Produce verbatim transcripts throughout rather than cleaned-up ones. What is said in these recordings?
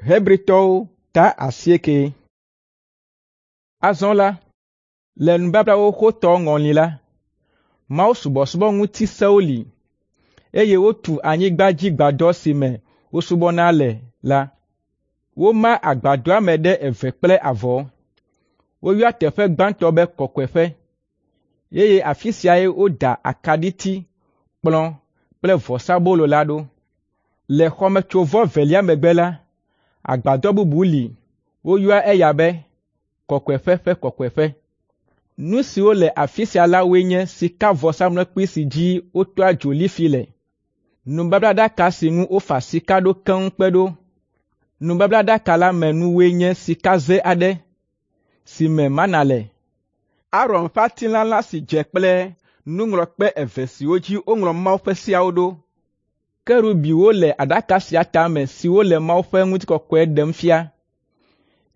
Hebritɔwo ta asieke. Azɔ la, le nubabla xoxotɔ ŋɔli la, mawusubɔsubɔ ŋuti sewo li, eye wotu anyigbadzigbadɔ si me wosubɔna le la. Woma agbadɔa me ɖe eve kple avɔ. Woyɔa teƒe gbãtɔ be Kɔkɔeƒe, eye afi siae woda akaɖiti, kplɔ̃ kple vɔsabolo la ɖo. Le xɔmetsovɔ evelia megbe la, agbadɔ bubu li woyɔa eya be Kɔkɔeƒe ƒe Kɔkɔeƒe. Nu siwo le afi sia la woe nye sikavɔsamlekpui si dzi wotɔa dzo lifi le, nubablaɖaka si ŋu wofa sika ɖo keŋ kpe ɖo. Nubablaɖaka la me nuwoe nye sikaze aɖe si me mana le, Aron ƒe atilãla si dze kple nuŋlɔkpe eve siwo dzi woŋlɔ Mawu ƒe seawo ɖo. Kerubiwo le aɖaka sia tame siwo le Mawu ƒe ŋutikɔkɔe ɖem fia,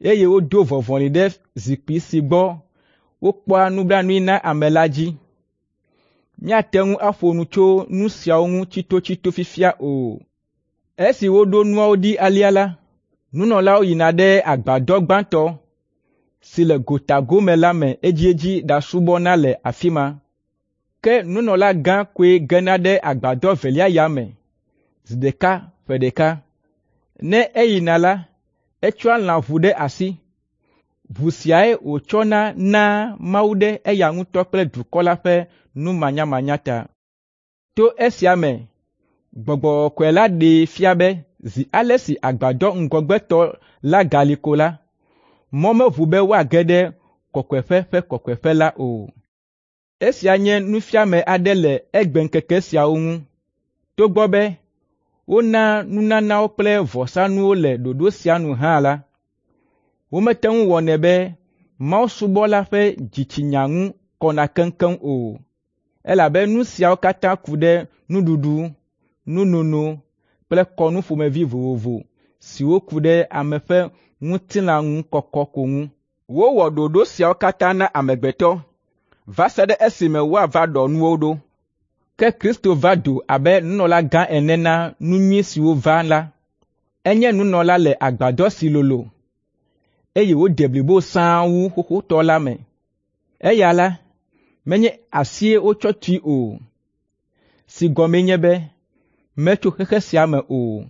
eye wodo vɔvɔli ɖe zikpui si gbɔ wokpɔa nublanui na ame la dzi. Míate ŋu aƒo nu tso nu siawo ŋu tsitotsito fifia o. Esi woɖo nuawo ɖi alea la, nunɔlawo yina ɖe agbadɔ gbãtɔ si le gota gome la me edziedzi ɖasubɔna le afi ma. Ke nunɔlagã koe gena ɖe agbadɔ evelia ya me zi ɖeka ƒe ɖeka. Ne eyina la, etsɔa lãʋu ɖe asi. Ʋu siae wòtsɔna naa Mawu ɖe eya ŋutɔ kple dukɔ la ƒe numanyamanya ta. To esia me, Gbɔgbɔ Kɔkɔe la ɖee fia be zi ale si agbadɔ ŋgɔgbetɔ la gali ko la, mɔ meʋu be woage ɖe Kɔkɔeƒe ƒe Kɔkɔeƒe la o. Esia nye nufiame aɖe le egbeŋkeke siawo ŋu. Togbɔ be wonaa nunanawo kple vɔsanuwo le ɖoɖo sia nu hã la, womete ŋu wɔnɛ be mawusubɔla ƒe dzitsinya ŋu kɔna keŋkeŋ o, elabe nu siawo katã ku ɖe nuɖuɖu, nunono kple kɔnu ƒomevi vovovo siwo ku ɖe ame ƒe ŋutilã ŋu kɔkɔ ko ŋu. Wowɔ ɖoɖo siawo katã na amegbetɔ va se ɖe esime woava ɖɔ nuwo ɖo. Ke Kristo va do abe nunɔlagã ene na nu nyui siwo va la. Enye nunɔla le agbadɔ si lolo, eye wòde blibo sãa wu xoxotɔ la me. Eya la, menye asie wotsɔ tui o, si gɔmee nye be metso xexe sia me o.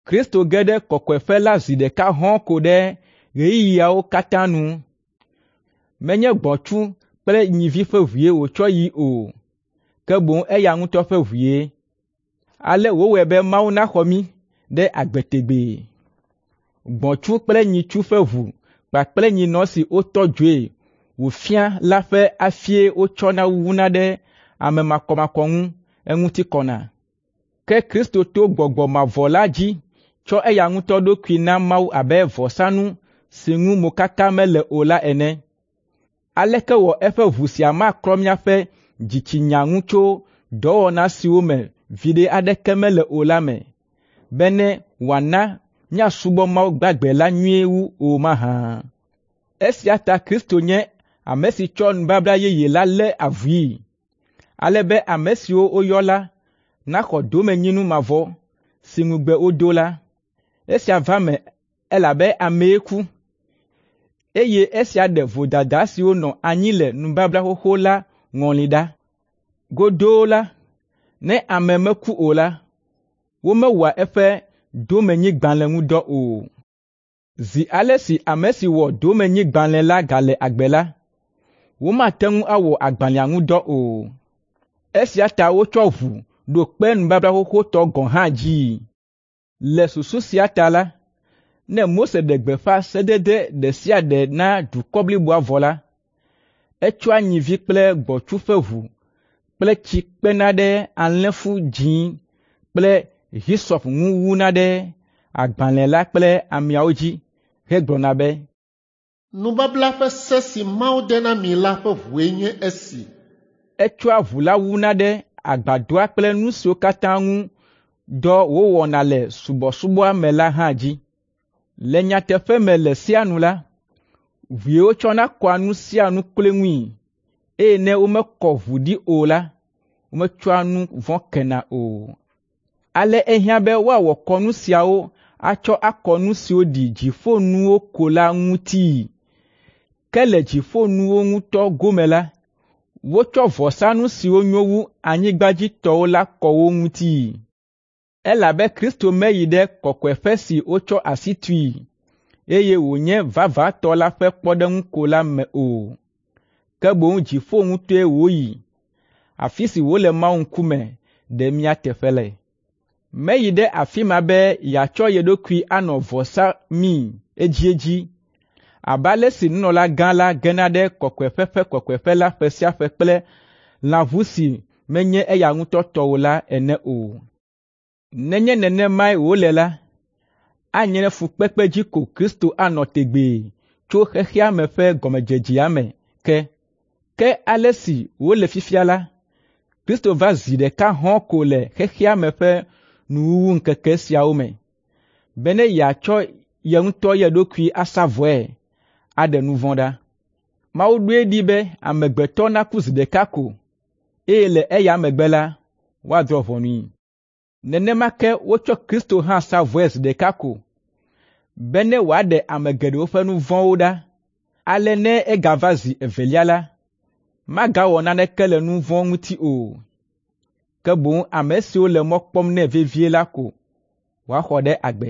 Kristo ge ɖe kɔkɔeƒe la zi ɖeka hɔ̃ɔ ko ɖe ɣeyiɣiawo katã nu. Menye gbɔ̃tsu kple nyivi ƒe ʋue wòtsɔ yi o, ke boŋ eya ŋutɔ ƒe ʋue. Ale wòwɔe be Mawu naxɔ mí ɖe agbe tegbee. Gbɔ̃tsu kple nyitsu ƒe ʋu kpakple nyinɔ si wotɔ dzoe wòfia la ƒe afie wotsɔna wuna ɖe ame makɔmakɔ ŋu eŋuti kɔna. Ke Kristo to Gbɔgbɔ mavɔ la dzi tsɔ eya ŋutɔ ɖokui na Mawu abe vɔsanu si ŋu mokaka mele o la ene. Aleke wɔ eƒe ʋu sia maklɔ míaƒe dzitsinya ŋu tso dɔwɔna siwo me viɖe aɖeke mele o la me, bene wòana míasubɔ Mawu gbagbe la nyuie wu o mahã? Esia ta Kristo nye ame si tsɔ nubabla yeye la lé avui, ale be ame siwo woyɔ la naxɔ domenyinu mavɔ si ŋugbe wodo la. Esia va eme elabe amee ku, eye esia ɖe vodada siwo nɔ anyi le nubabla xoxo la ŋɔli ɖa. Godoo la, ne ame meku o la, womewɔa eƒe domenyigbalẽ ŋu dɔ o. Zi ale si ame si wɔ domenyigbalẽ la gale agbe la, womate ŋu awɔ agbalẽa ŋu dɔ o. Esia ta wotsɔ ʋu ɖo kpe nubabla xoxotɔ gɔ̃ hã dzii. Le susu sia ta la, ne Mose ɖe gbeƒã sedede ɖe sia ɖe na dukɔ bliboa vɔ la, etsɔa nyivi kple gbɔ̃tsu ƒe ʋu kple tsi kpena ɖe alẽfu dzĩ kple hisɔp ŋu wuna ɖe agbalẽ la kple ameawo dzi hegblɔna be, Nubabla ƒe se si Mawu de na mi la ƒe ʋue nye esi. Etsɔa ʋu la wuna ɖe agbadɔa kple nu siwo katã ŋu dɔ wòwɔna le subɔsubɔa me la hã dzi. Le nyateƒe me le sea nu la, ʋue wotsɔna kɔa nu sia nu kloe ŋui, eye ne womekɔ ʋu ɖi o la, wometsɔa nu vɔ̃ kena o. Ale ehiã be woawɔ kɔnu siawo atsɔ akɔ nu siwo ɖi dziƒonuwo ko la ŋutii. Ke le dziƒonuwo ŋutɔ gome la, wotsɔ vɔsanu siwo nyo wu anyigbadzitɔwo la kɔ wo ŋutii. Elabe Kristo meyi ɖe kɔkɔeƒe si wotsɔ asi tui, eye wònye vavãtɔ la ƒe kpɔɖeŋu ko la me o, ke boŋ dziƒo ŋutɔe wòyi, afi si wòle Mawu ŋkume ɖe mía teƒe le. Meyi ɖe afi ma be yeatsɔ ye ɖokui anɔ vɔ samii edziedzi abe ale si nunɔlagã la gena ɖe kɔkɔeƒe ƒe kɔkɔeƒe la ƒe sia ƒe kple lãʋu si menye eya ŋutɔ tɔ o la ene o. Nenye nenemae wòle la, anye ne fukpekpe dzi ko Kristo anɔ tegbee tso xexea me ƒe gɔmedzedzea me ke. Ke ale si wòle fifia la, Kristo va zi ɖeka hɔ̃ɔ ko le xexea me ƒe nuwuwuŋkeke siawo me, bene yeatsɔ ye ŋutɔ ye ɖokui asa vɔe, aɖe nu vɔ̃ ɖa. Mawu ɖoe ɖi be amegbetɔ naku zi ɖeka ko, eye le eya megbe la, woadrɔ̃ ʋɔnui. Nenema ke wotsɔ Kristo hã sa vɔe zi ɖeka ko, bene wòaɖe ame geɖewo ƒe nu vɔ̃wo ɖa. Ale ne egava zi evelia la, magawɔ naneke le nu vɔ̃ ŋuti o, ke boŋ ame siwo le mɔ kpɔm nɛ vevie la ko wòaxɔ ɖe agbe.